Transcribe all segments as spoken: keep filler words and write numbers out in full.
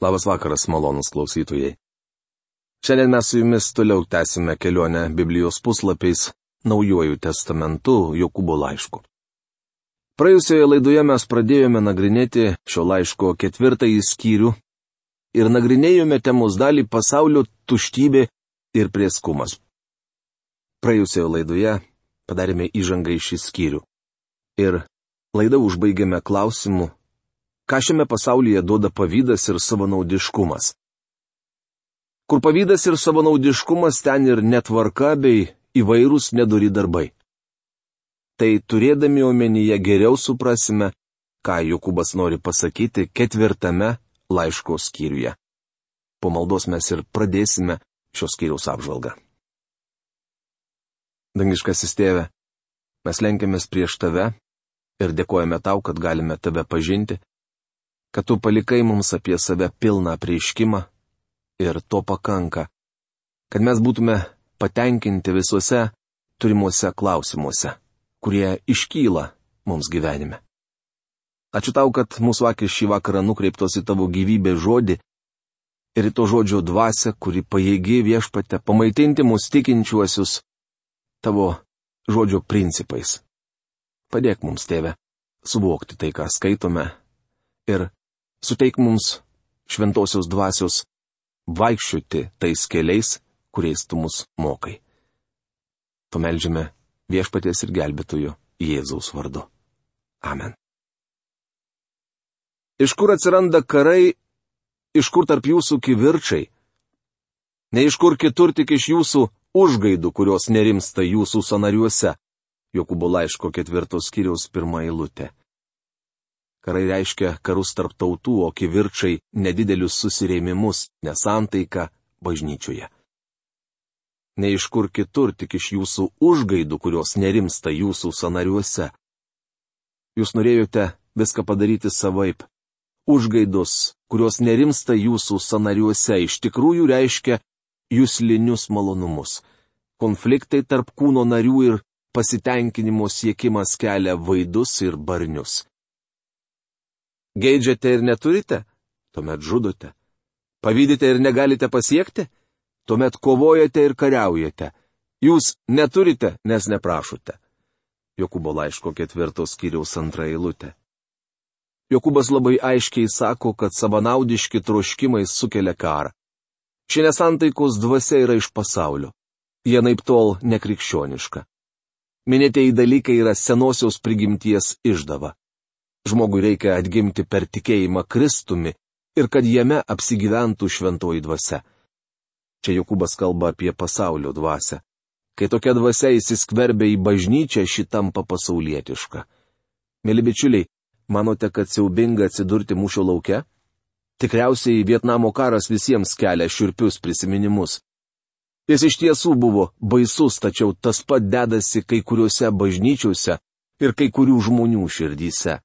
Labas vakaras, malonus klausytojai. Šiandien mes su jumis toliau tęsime kelionę Biblijos puslapiais Naujuoju testamentu Jokūbo laišku. Praėjusioje laidoje mes pradėjome nagrinėti šio laiško ketvirtąjį skyrių ir nagrinėjome temos dalį pasaulio tuštybė ir prieskumas. Praėjusioje laidoje padarėme įžangą į šį skyrių ir laidą užbaigėme klausimu, ką šiame pasaulyje duoda pavydas ir savanaudiškumas. Kur pavydas ir savanaudiškumas, ten ir netvarka bei įvairūs nedori darbai. Tai turėdami omenyje geriau suprasime, ką Jokūbas nori pasakyti ketvirtame laiško skyriuje. Po maldos mes ir pradėsime šios skyriaus apžvalgą. Dangiškasis Tėve, mes lenkiamės prieš Tave ir dėkojame Tau, kad galime Tave pažinti, kad Tu palikai mums apie save pilną apreiškimą ir to pakanka, kad mes būtume patenkinti visuose turimuose klausimuose, kurie iškyla mums gyvenime. Ačiū Tau, kad mūsų akis šį vakarą nukreiptos į Tavo gyvybės žodį ir į to žodžio dvasią, kuri pajėgi Viešpatie pamaitinti mus tikinčiuosius Tavo žodžio principais. Padėk mums, Tėve, suvokti tai, ką skaitome, ir suteik mums šventosios dvasios vaikščioti tais keliais, kuriais Tu mus mokai. Pameldžiame Viešpaties ir gelbėtojo Jėzaus vardu. Amen. Iš kur atsiranda karai, iš kur tarp jūsų kivirčai? Ne iš kur kitur, tik iš jūsų užgaidų, kurios nerimsta jūsų sanariuose. Jokūbo laiško ketvirtos skyriaus pirma eilutė. Karai reiškia karus tarp tautų, o kivirčai nedidelius susirėmimus, nesantaiką bažnyčioje. Ne iš kur kitur, tik iš jūsų užgaidų, kurios nerimsta jūsų sanariuose. Jūs norėjote viską padaryti savaip. Užgaidos, kurios nerimsta jūsų sanariuose, iš tikrųjų reiškia juslinius malonumus. Konfliktai tarp kūno narių ir pasitenkinimo siekimas kelia vaidus ir barnius. Geidžiate ir neturite? Tuomet žudote. Pavydite ir negalite pasiekti? Tuomet kovojate ir kariaujate. Jūs neturite, nes neprašote. Jokūbo laiško ketvirtos skyriaus antra eilutė. Jokūbas labai aiškiai sako, kad savanaudiški troškimai sukelia karą. Ši nesantaikos dvasia yra iš pasaulio. Jie naiptol nekrikščioniška. Minėtieji dalykai yra senosios prigimties išdava. Žmogui reikia atgimti per tikėjimą Kristumi ir kad jame apsigyventų šventoji dvasia. Čia Jokūbas kalba apie pasaulio dvasią. Kai tokia dvasia įsiskverbia į bažnyčią, ši tampa pasaulietiška. Mėly bičiuliai, manote, kad siaubinga atsidurti mūšio lauke? Tikriausiai Vietnamo karas visiems kelia šiurpius prisiminimus. Jis iš tiesų buvo baisus, tačiau tas pat dedasi kai kuriuose bažnyčiose ir kai kurių žmonių širdyse.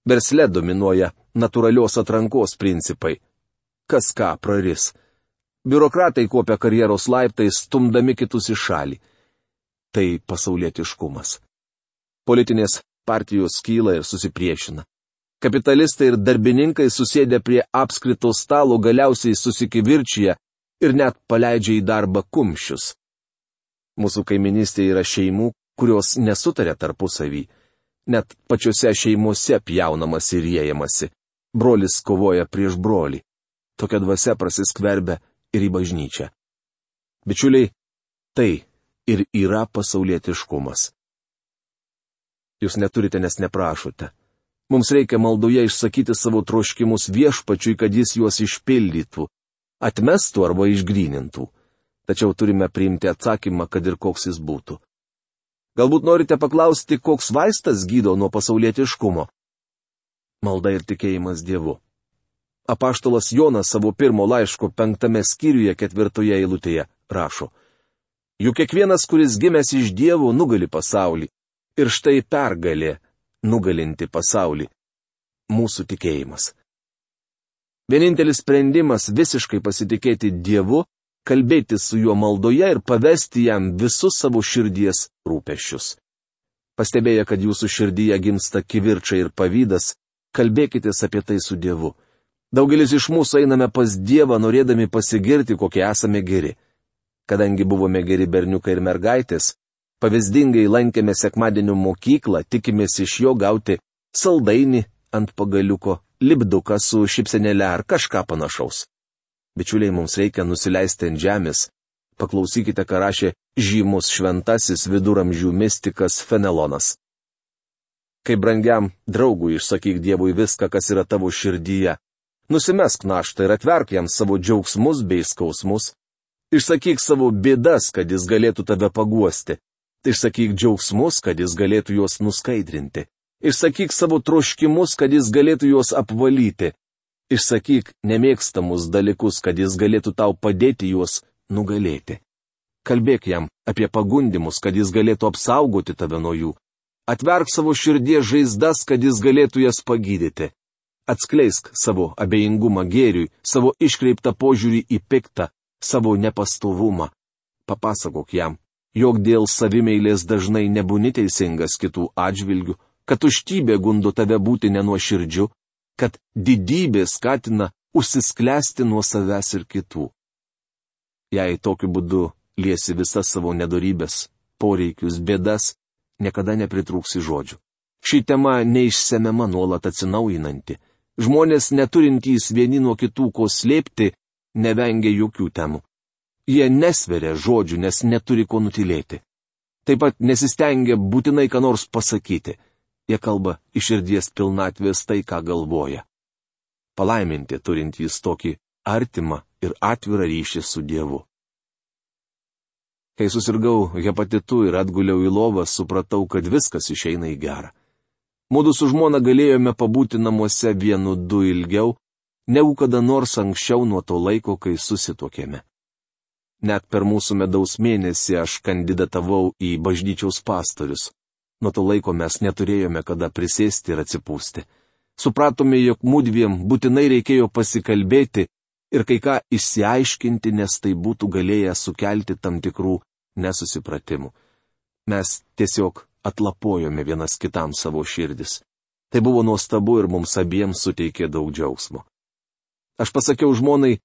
Versle dominuoja natūralios atrankos principai. Kas ką praris. Biurokratai kopia karjeros laiptais, stumdami kitus į šalį. Tai pasaulietiškumas. Politinės partijos skyla ir susipriešina. Kapitalistai ir darbininkai susėdę prie apskrito stalo galiausiai susikivirčia ir net paleidžia į darbą kumščius. Mūsų kaiminystėje yra šeimų, kurios nesutarė tarpusavį. Net pačiose šeimose pjaunamas ir riejamasi. Brolis kovoja prieš brolį. Tokia dvasia prasiskverbia ir į bažnyčią. Bičiuliai, tai ir yra pasaulietiškumas. Jūs neturite, nes neprašote. Mums reikia maldoje išsakyti savo troškimus Viešpačiui, kad jis juos išpildytų, atmestų arba išgrynintų. Tačiau turime priimti atsakymą, kad ir koks jis būtų. Galbūt norite paklausti, koks vaistas gydo nuo pasaulietiškumo? Malda ir tikėjimas Dievu. Apaštalas Jonas savo pirmo laiško penktame skyriuje ketvirtoje eilutėje rašo: Juk kiekvienas, kuris gimęs iš Dievo, nugali pasaulį. Ir štai pergalė nugalinti pasaulį. Mūsų tikėjimas. Vienintelis sprendimas visiškai pasitikėti Dievu, kalbėti su juo maldoje ir pavesti jam visus savo širdies rūpesčius. Pastebėję, kad jūsų širdyje gimsta kivirčai ir pavydas, kalbėkitės apie tai su Dievu. Daugelis iš mūsų einame pas Dievą, norėdami pasigirti, kokie esame geri. Kadangi buvome geri berniukai ir mergaitės, pavyzdingai lankėme sekmadienio mokyklą, tikimės iš jo gauti saldainį ant pagaliuko, lipduką su šypsenėle ar kažką panašaus. Bičiuliai, mums reikia nusileisti ant žemės. Paklausykite, ką rašė žymus šventasis viduramžių mistikas Fenelonas. Kai brangiam draugui išsakyk Dievui viską, kas yra tavo širdyje. Nusimesk naštą ir atverk jam savo džiaugsmus bei skausmus. Išsakyk savo bėdas, kad jis galėtų tave paguosti. Išsakyk džiaugsmus, kad jis galėtų juos nuskaidrinti. Išsakyk savo troškimus, kad jis galėtų juos apvalyti. Išsakyk nemėgstamus dalykus, kad jis galėtų tau padėti juos nugalėti. Kalbėk jam apie pagundimus, kad jis galėtų apsaugoti tave nuo jų. Atverk savo širdies žaizdas, kad jis galėtų jas pagydyti. Atskleisk savo abejingumą gėriui, savo iškreiptą požiūrį į piktą, savo nepastovumą. Papasakok jam, jog dėl savimeilės dažnai nebūni teisingas kitų atžvilgių, kad tuštybė gundo tave būti nenuoširdžiu, kad didybė skatina užsisklęsti nuo savęs ir kitų. Jei tokiu būdu liesi visas savo nedorybės, poreikius, bėdas, niekada nepritrūksi žodžių. Ši tema neišsemiama, nuolat atsinaujinanti. Žmonės neturintys vieni nuo kitų ko slėpti, nevengia jokių temų. Jie nesveria žodžių, nes neturi ko nutilėti. Taip pat nesistengia būtinai ką nors pasakyti. Jie kalba iš širdies pilnatvės tai, ką galvoja. Palaiminti turintys tokį artimą ir atvirą ryšį su Dievu. Kai susirgau hepatitu ir atguliau į lovą, supratau, kad viskas išeina į gerą. Mudu su žmona galėjome pabūti namuose vienu du ilgiau, negu kada nors anksčiau nuo to laiko, kai susituokėme. Net per mūsų medaus mėnesį aš kandidatavau į bažnyčiaus pastorius. Nuo to laiko mes neturėjome kada prisėsti ir atsipūsti. Supratome, jog mudviem būtinai reikėjo pasikalbėti ir kai ką išsiaiškinti, nes tai būtų galėję sukelti tam tikrų nesusipratimų. Mes tiesiog atlapojome vienas kitam savo širdis. Tai buvo nuostabu ir mums abiems suteikė daug džiaugsmo. Aš pasakiau žmonai,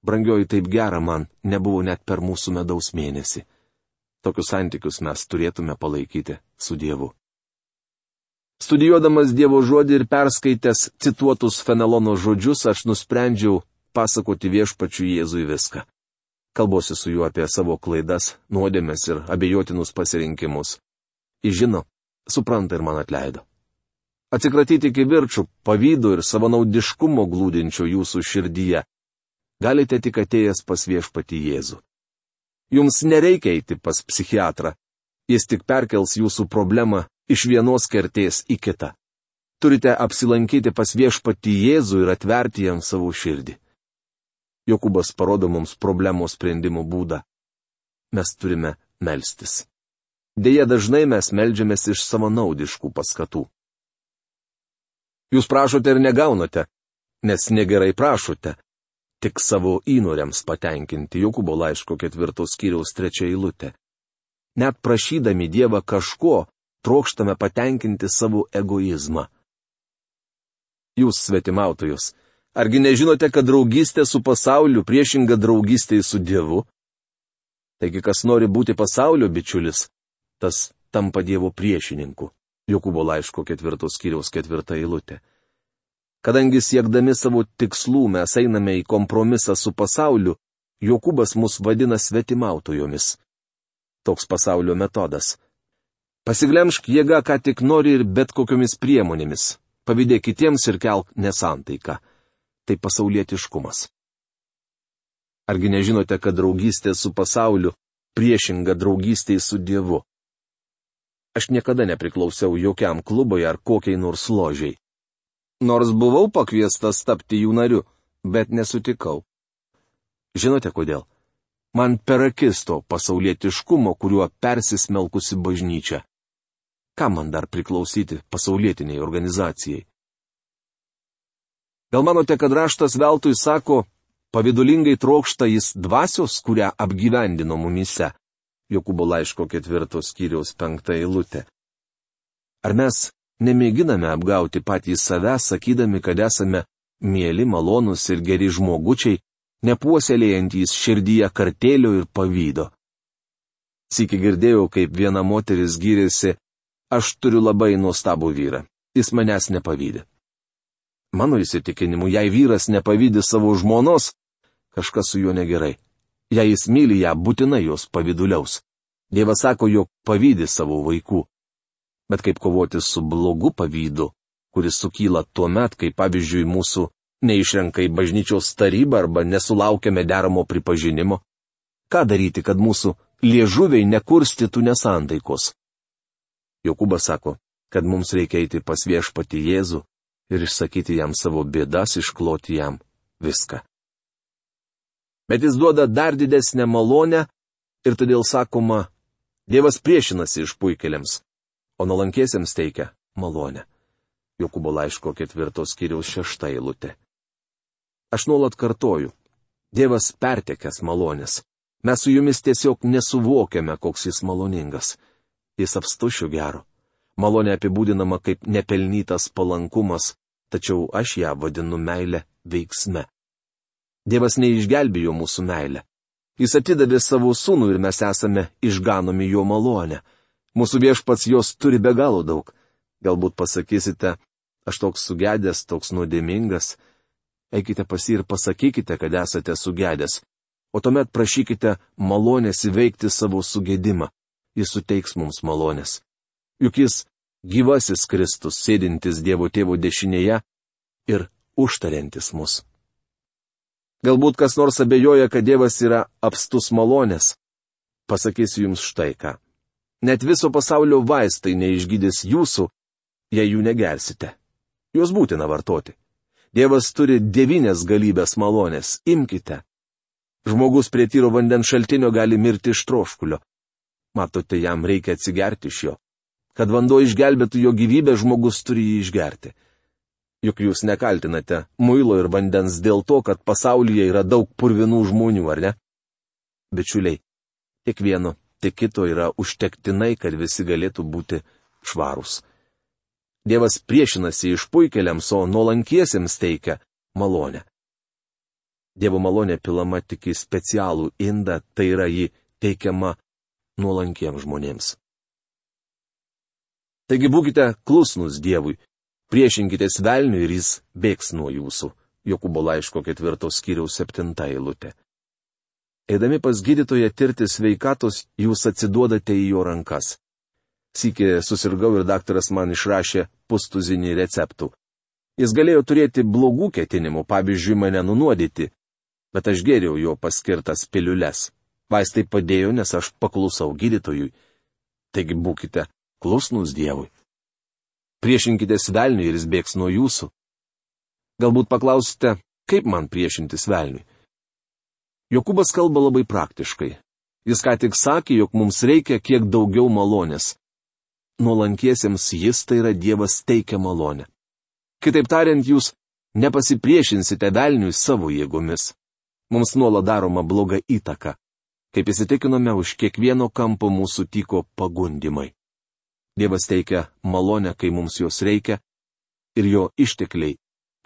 brangioji, taip gera man, nebuvo net per mūsų medaus mėnesį. Tokius santykius mes turėtume palaikyti su Dievu. Studijuodamas Dievo žodį ir perskaitęs cituotus Fenelono žodžius, aš nusprendžiau pasakoti Viešpačiui Jėzui viską. Kalbuosi su juo apie savo klaidas, nuodėmes ir abejotinus pasirinkimus. Jis žino, supranta ir man atleido. Atsikratyti kivirčų, pavydo ir savanaudiškumo glūdinčio jūsų širdyje galite tik atėjęs pas Viešpatį Jėzų. Jums nereikia eiti pas psichiatrą, jis tik perkels jūsų problemą iš vienos kertės į kitą. Turite apsilankyti pas Viešpatį Jėzų ir atverti jam savo širdį. Jokūbas parodo mums problemos sprendimo būdą. Mes turime melstis. Deja, dažnai mes meldžiamės iš savanaudiškų paskatų. Jūs prašote ir negaunate, nes negerai prašote, tik savo įnoriams patenkinti. Jokūbo laiško ketvirtos skyriaus trečia eilutė. Net prašydami Dievą kažko, trokštame patenkinti savo egoizmą. Jūs svetimautojus, argi nežinote, kad draugystė su pasauliu priešinga draugystė su Dievu? Taigi, kas nori būti pasaulio bičiulis, tas tampa Dievo priešininku. Jokūbo laiško ketvirtos skyriaus ketvirta eilutė. Kadangi siekdami savo tikslų mes einame į kompromisą su pasauliu, Jokūbas mus vadina svetimautojomis. Toks pasaulio metodas. Pasiglemžk jėga, ką tik nori ir bet kokiomis priemonėmis. Pavydėk kitiems ir kelk nesantaiką. Tai pasaulietiškumas. Argi nežinote, kad draugystė su pasauliu priešinga draugystei su Dievu? Aš niekada nepriklausiau jokiam klubui ar kokiai nors ložiai. Nors buvau pakviestas tapti jų nariu, bet nesutikau. Žinote kodėl? Man per akis to pasaulietiškumo, kuriuo persismelkusi bažnyčia. Kam man dar priklausyti pasaulietiniai organizacijai? Gal manote, kad raštas veltui sako, pavidulingai trokšta jis dvasios, kurią apgyvendino mumyse? Jokūbo laiško ketvirtos skyriaus penkta eilutė. Ar mes nemėginame apgauti patys save, sakydami, kad esame mieli, malonūs ir geri žmogučiai, nepuoselėjantys širdyje kartėlio ir pavydo. Sykį girdėjau, kaip viena moteris gyrėsi, aš turiu labai nuostabų vyrą, jis manęs nepavydė. Mano įsitikinimu, jei vyras nepavydė savo žmonos, kažkas su juo negerai. Jei jis myli ją, būtinai jos pavyduliaus. Dievas sako, jog pavydė savo vaikų. Bet kaip kovoti su blogu pavydu, kuris sukyla tuo met, kai pavyzdžiui mūsų neišrenka į bažnyčios tarybą arba nesulaukiame deramo pripažinimo? Ką daryti, kad mūsų liežuviai nekurstytų nesantaikos? Jokūbas sako, kad mums reikia eiti pas viešpatį Jėzų ir išsakyti jam savo bėdas, iškloti jam viską. Bet jis duoda dar didesnę malonę ir todėl sakoma, Dievas priešinasi išpuikėliams, o nuolankiesiems teikia malonę. Jokūbo laiško ketvirtos skyriaus šešta eilutė. Aš nuolat kartoju, Dievas pertekęs malonės. Mes su jumis tiesiog nesuvokiame, koks jis maloningas. Jis apstušiu gero. Malonė apibūdinama kaip nepelnytas palankumas, tačiau aš ją vadinu meilę veiksme. Dievas neišgelbėjo mūsų meilę. Jis atidavė savo sūnų ir mes esame išganomi jo malonę. Mūsų viešpats jos turi be galo daug. Galbūt pasakysite, aš toks sugedęs, toks nuodėmingas. Eikite pas jį ir pasakykite, kad esate sugedęs. O tuomet prašykite malonės įveikti savo sugedimą. Jis suteiks mums malonės. Juk jis gyvasis Kristus, sėdintis Dievo Tėvo dešinėje ir užtariantis mus. Galbūt kas nors abejoja, kad Dievas yra apstus malonės. Pasakysiu jums štai ką. Net viso pasaulio vaistai neišgydys jūsų, jei jų negersite. Juos būtina vartoti. Dievas turi devynias galybės malonės. Imkite. Žmogus prie tyro vandens šaltinio gali mirti iš troškulio. Matote, jam reikia atsigerti iš jo. Kad vanduo išgelbėtų jo gyvybę, žmogus turi jį išgerti. Juk jūs nekaltinate muilo ir vandens dėl to, kad pasaulyje yra daug purvinų žmonių, ar ne? Bičiuliai, tiek vieno, tiek kito yra užtektinai, kad visi galėtų būti švarūs. Dievas priešinasi išpuikėliams, o nuolankiesiems teikia malonę. Dievo malonė pilama tik į specialų indą, tai yra ji teikiama nuolankiems žmonėms. Taigi būkite klusnus Dievui, priešinkitės velniui ir jis bėgs nuo jūsų. Jokūbo laiško ketvirtos skyriaus septinta eilutė. Eidami pas gydytoją tirti sveikatos, jūs atsiduodate į jo rankas. Sykį susirgau ir daktaras man išrašė pustuzinį receptų. Jis galėjo turėti blogų ketinimų, pavyzdžiui, mane nunuodyti, bet aš gėriau jo paskirtas piliules. Vaistai padėjo, nes aš paklusau gydytojui. Taigi būkite klusnus Dievui. Priešinkitės velniui ir jis bėgs nuo jūsų. Galbūt paklausite, kaip man priešintis velniui. Jokūbas kalba labai praktiškai. Jis ką tik sakė, jog mums reikia kiek daugiau malonės. Nuolankiesiems jis, tai yra Dievas, teikia malonę. Kitaip tariant, jūs nepasipriešinsite velniui savo jėgomis. Mums nuolat daroma bloga įtaka. Kaip įsitikinome, už kiekvieno kampo mūsų tyko pagundimai. Dievas teikia malonę, kai mums jos reikia, ir jo ištekliai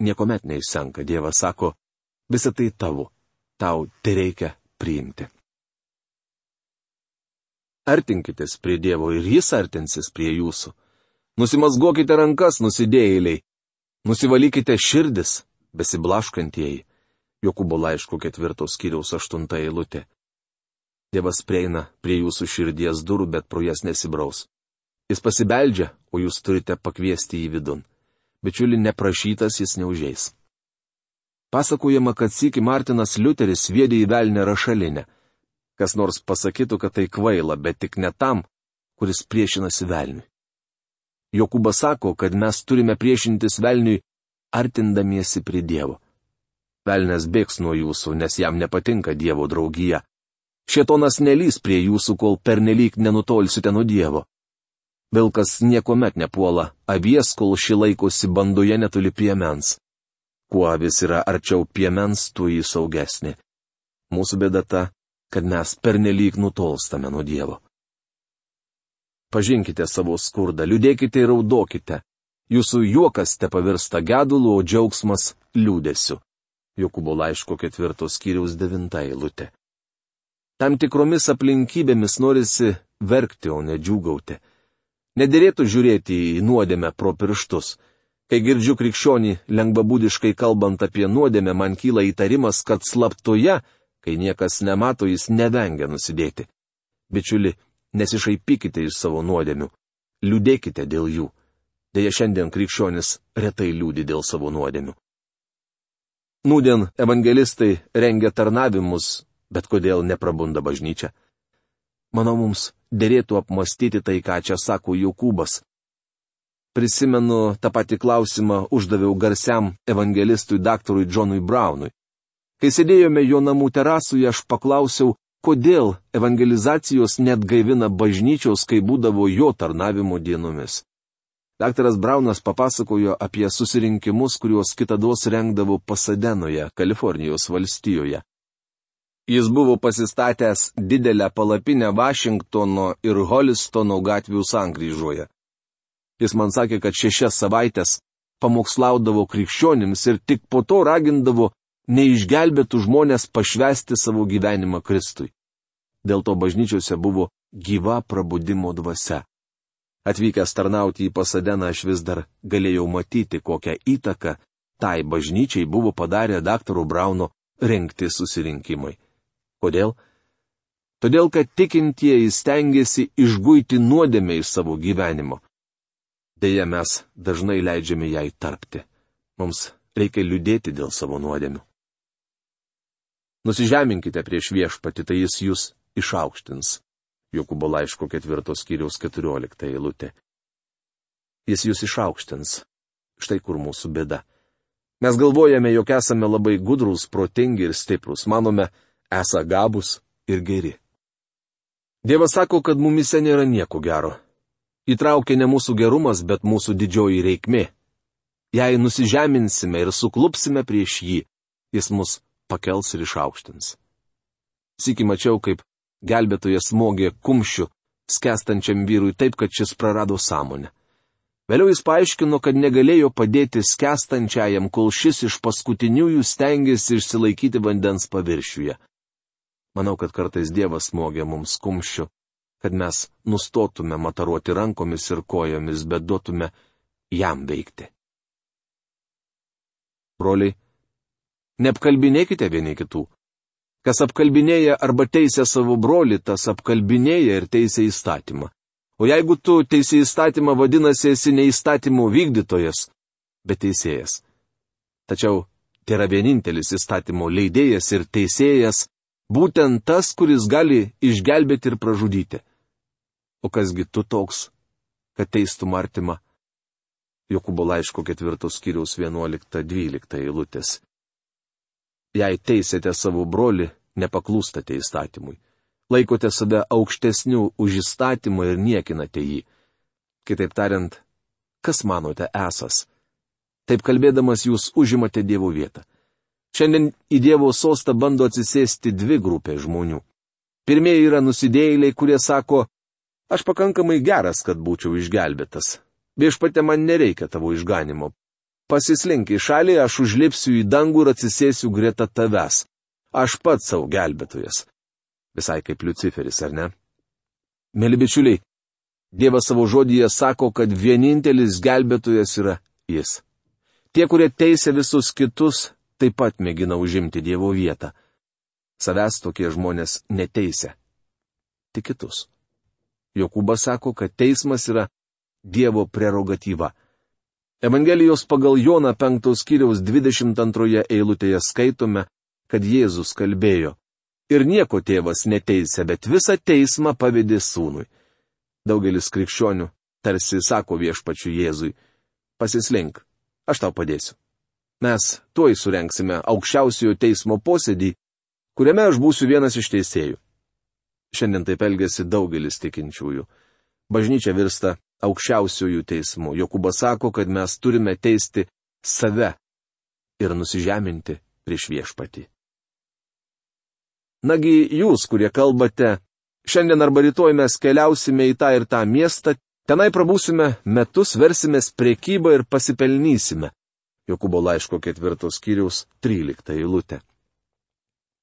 niekuomet neišsenka. Dievas sako, visa tai tavo, tau tai reikia priimti. Artinkitės prie Dievo ir jis artinsis prie jūsų. Nusimazgokite rankas, nusidėjėliai. Nusivalykite širdis, besiblaškantieji. Jokūbo laiško ketvirtos skyriaus aštunta eilutė. Dievas prieina prie jūsų širdies durų, bet pro jas nesibraus. Jis pasibeldžia, o jūs turite pakviesti jį vidun. Bičiuli, neprašytas jis neužeis. Pasakojama, kad sykį Martinas Liuteris sviedė į velnę rašalinę. Kas nors pasakytų, kad tai kvaila, bet tik ne tam, kuris priešinasi velniui. Jokūbas sako, kad mes turime priešintis velniui, artindamiesi prie Dievo. Velnias bėgs nuo jūsų, nes jam nepatinka Dievo draugija. Šėtonas nelys prie jūsų, kol pernelyg nenutolsite nuo Dievo. Vilkas niekuomet nepuola avies, kol ši laikosi bandoje netoli piemens. Kuo avis yra arčiau piemens, tuo jį saugesnė. Mūsų bėda ta, kad mes pernelyg nutolstame nuo Dievo. Pažinkite savo skurdą, liūdėkite ir raudokite. Jūsų juokas te pavirsta gedulu, o džiaugsmas liūdėsiu. Jokūbo laiško ketvirtos skyriaus devinta eilutė. Tam tikromis aplinkybėmis norisi verkti, o ne džiūgauti. Nederėtų žiūrėti į nuodėmę pro pirštus. Kai girdžiu krikščionį lengvabūdiškai kalbant apie nuodėmę, man kyla įtarimas, kad slaptoje, kai niekas nemato, jis nevengia nusidėti. Bičiuli, nesišaipykite iš savo nuodėmių. Liūdėkite dėl jų. Deja, šiandien krikščionis retai liūdi dėl savo nuodėmių. Nūdien evangelistai rengia tarnavimus, bet kodėl neprabunda bažnyčia? Manau, mums derėtų apmastyti tai, ką čia sako Jokūbas. Prisimenu, tą patį klausimą uždaviau garsiam evangelistui daktarui Džonui Braunui. Kai sėdėjome jo namų terasuje, aš paklausiau, kodėl evangelizacijos net gaivina bažnyčios, kai būdavo jo tarnavimo dienomis. Daktaras Braunas papasakojo apie susirinkimus, kuriuos kitados rengdavo Pasadenoje, Kalifornijos valstijoje. Jis buvo pasistatęs didelę palapinę Vašingtono ir Holistono gatvių sankryžoje. Jis man sakė, kad šešias savaitės pamokslaudavo krikščionims ir tik po to ragindavo neišgelbėtų žmonės pašvęsti savo gyvenimą Kristui. Dėl to bažnyčiose buvo gyva prabudimo dvasia. Atvykęs tarnauti į Pasadeną aš vis dar galėjau matyti, kokią įtaką tai bažnyčiai buvo padarę daktaro Brauno rengti susirinkimai. Kodėl? Todėl, kad tikintieji stengiasi išguiti nuodėmę iš savo gyvenimo. Deja, mes dažnai leidžiame jai tarpti. Mums reikia liūdėti dėl savo nuodėmių. Nusižeminkite prieš viešpatį, tai jis jūs išaukštins. Jokūbo laiško ketvirtos skyriaus keturiolikta eilutė. Jis jūs išaukštins. Štai kur mūsų bėda. Mes galvojame, jog esame labai gudrūs, protingi ir stiprūs. Manome, esą gabūs ir geri. Dievas sako, kad mumise nėra nieko gero. Įtraukia ne mūsų gerumas, bet mūsų didžioji reikmė. Jei nusižeminsime ir suklupsime prieš jį, jis mus pakels ir išaukštins. Sykį mačiau, kaip gelbėtojas smogė kumščiu skęstančiam vyrui taip, kad šis prarado sąmonę. Vėliau jis paaiškino, kad negalėjo padėti skęstančiajam, kol šis iš paskutiniųjų stengėsi išsilaikyti vandens paviršiuje. Manau, kad kartais Dievas smogia mums kumščiu, kad mes nustotume mataruoti rankomis ir kojomis, bet duotume jam veikti. Broliai, neapkalbinėkite vieni kitų. Kas apkalbinėja arba teisia savo brolį, tas apkalbinėja ir teisia įstatymą. O jeigu tu teisi įstatymą, vadinasi, esi ne įstatymų vykdytojas, bet teisėjas. Tačiau tai yra vienintelis įstatymo leidėjas ir teisėjas, būtent tas, kuris gali išgelbėti ir pražudyti. O kasgi tu toks, kad teistum artimą? Jokūbo laiško ketvirtos skyriaus vienuolikta dvylikta eilutės. Jei teisėte savo brolį, nepaklūstate įstatymui. Laikote save aukštesnių už įstatymą ir niekinate jį. Kitaip tariant, kas manote esas? Taip kalbėdamas jūs užimate Dievo vietą. Šiandien į Dievo sostą bando atsisėsti dvi grupės žmonių. Pirmieji yra nusidėjėliai, kurie sako, aš pakankamai geras, kad būčiau išgelbėtas. Viešpatie, man nereikia tavo išganimo. Pasislink į šalį, aš užlipsiu į dangų ir atsisėsiu greta tavęs. Aš pats savo gelbėtojas. Visai kaip Liuciferis, ar ne? Mėly bičiuliai, Dievas savo žodyje sako, kad vienintelis gelbėtojas yra jis. Tie, kurie teisia visus kitus, taip pat mėgina užimti Dievo vietą. Savęs tokie žmonės neteisia. Tik kitus. Jokūbas sako, kad teismas yra Dievo prerogatyva. Evangelijos pagal Joną penktos skyriaus dvidešimt antroje eilutėje skaitome, kad Jėzus kalbėjo. Ir nieko tėvas neteisia, bet visą teismą pavedė sūnui. Daugelis krikščionių tarsi sako viešpačiui Jėzui, pasislink, aš tau padėsiu. Mes tuoj surenksime aukščiausiojo teismo posėdį, kuriame aš būsiu vienas iš teisėjų. Šiandien taip elgiasi daugelis tikinčiųjų. Bažnyčia virsta aukščiausiojų teismų. Jokūbas sako, kad mes turime teisti save ir nusižeminti prieš viešpatį. Nagi jūs, kurie kalbate, šiandien arba rytoj mes keliausime į tą ir tą miestą, tenai prabūsime metus, versimės prekybą ir pasipelnysime. Jokūbo laiško ketvirtos skyriaus trylikta eilutė.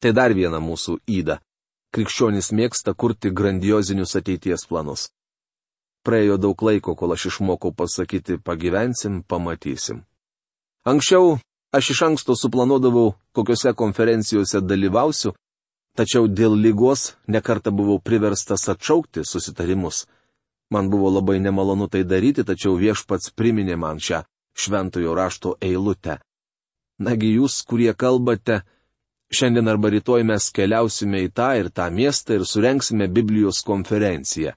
Tai dar viena mūsų yda. Krikščionys mėgsta kurti grandiozinius ateities planus. Praėjo daug laiko, kol aš išmokau pasakyti pagyvensim, pamatysim. Anksčiau aš iš anksto suplanuodavau, kokiuose konferencijose dalyvausiu, tačiau dėl ligos nekartą buvau priverstas atšaukti susitarimus. Man buvo labai nemalonu tai daryti, tačiau viešpats priminė man šią šventojo rašto eilutę. Nagi jūs, kurie kalbate, šiandien arba rytoj mes keliausime į tą ir tą miestą ir surenksime Biblijos konferenciją.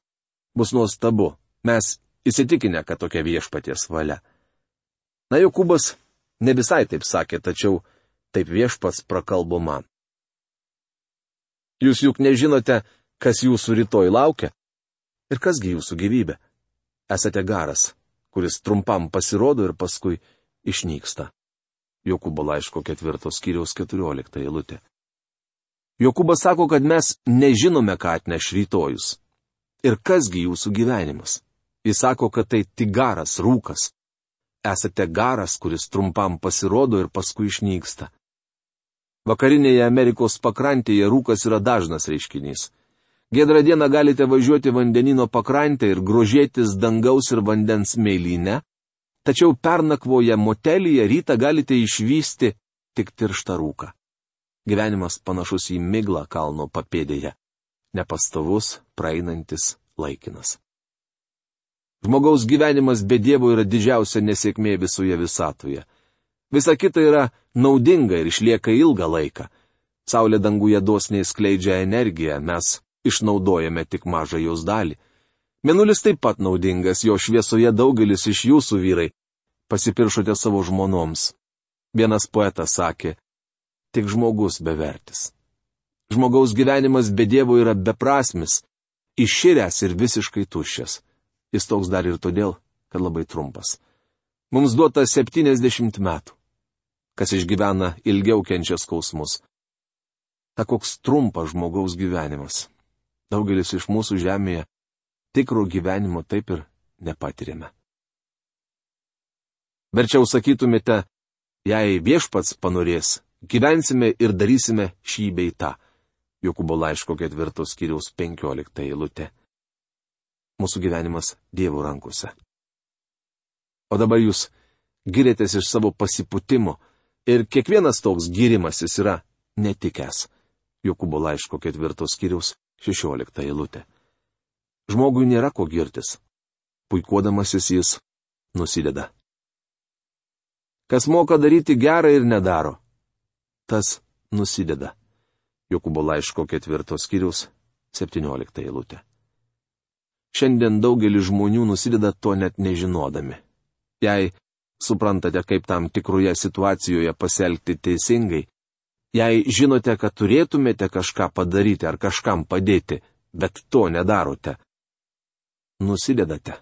Bus nuostabu, mes įsitikinę, kad tokia viešpaties valia. Na, Jokūbas ne visai taip sakė, tačiau taip viešpats prakalbo man. Jūs juk nežinote, kas jūsų rytoj laukia ir kasgi jūsų gyvybė. Esate garas, kuris trumpam pasirodo ir paskui išnyksta. Jokūbo laiško ketvirtos skyriaus keturiolikta eilutė. Jokūbas sako, kad mes nežinome, ką atneš rytojus. Ir kasgi jūsų gyvenimas? Jis sako, kad tai tik garas, rūkas. Esate garas, kuris trumpam pasirodo ir paskui išnyksta. Vakarinėje Amerikos pakrantėje rūkas yra dažnas reiškinys. Giedrą dieną galite važiuoti vandenino pakrantę ir grožėtis dangaus ir vandens mėlyne, tačiau pernakvoje motelyje rytą galite išvysti tik tirštą rūką. Gyvenimas panašus į miglą kalno papėdėje. Nepastovus, praeinantis, laikinas. Žmogaus gyvenimas be Dievo yra didžiausia nesėkmė visoje visatoje. Visa kita yra naudinga ir išlieka ilgą laiką. Saulė danguje dosniai skleidžia energiją, mes išnaudojame tik mažą jos dalį. Mėnulis taip pat naudingas, jo šviesoje daugelis iš jūsų, vyrai, pasipiršote savo žmonoms. Vienas poetas sakė, tik žmogus bevertis. Žmogaus gyvenimas be Dievo yra beprasmis, iširęs ir visiškai tuščias. Jis toks dar ir todėl, kad labai trumpas. Mums duota septyniasdešimt metų. Kas išgyvena ilgiau kenčia skausmus. Ta koks trumpas žmogaus gyvenimas. Daugelis iš mūsų žemėje tikro gyvenimo taip ir nepatirėme. Verčiau sakytumėte, jei viešpats panorės, gyvensime ir darysime šį bei tą. Jokūbo laiško ketvirtos skyriaus penkiolikta eilutė. Mūsų gyvenimas Dievo rankose. O dabar jūs girėtės iš savo pasipūtimo ir kiekvienas toks girimasis yra netikęs. Jokūbo laiško ketvirtos skyriaus šešiolikta eilutė. Žmogui nėra ko girtis. Puikuodamasis jis nusideda. Kas moka daryti gerą ir nedaro, tas nusideda. Jokūbo laiško ketvirtos skyriaus septyniolikta eilutė. Šiandien daugelis žmonių nusideda to net nežinodami. Jei suprantate, kaip tam tikroje situacijoje pasielgti teisingai, jei žinote, kad turėtumėte kažką padaryti ar kažkam padėti, bet to nedarote, nusidedate.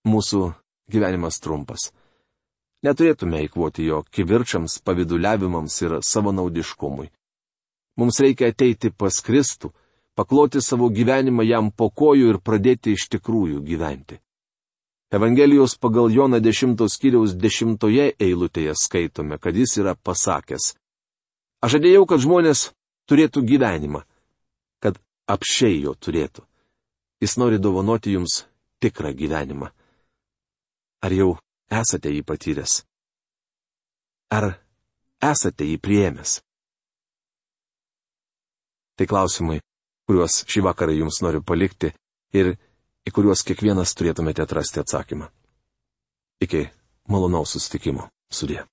Mūsų gyvenimas trumpas. Neturėtume eikvoti jo kivirčams, paviduliavimams ir savanaudiškumui. Mums reikia ateiti pas Kristų, pakloti savo gyvenimą jam po kojų ir pradėti iš tikrųjų gyventi. Evangelijos pagal Joną dešimtos skyriaus dešimtoje eilutėje skaitome, kad jis yra pasakęs: Aš žadėjau, kad žmonės turėtų gyvenimą, kad apsčiai jo turėtų. Jis nori dovanoti jums tikrą gyvenimą. Ar jau esate jį patyręs? Ar esate jį priėmęs? Tai klausimai, kuriuos šį vakarą jums noriu palikti ir į kuriuos kiekvienas turėtumėte atrasti atsakymą. Iki malonaus susitikimo. Sudie.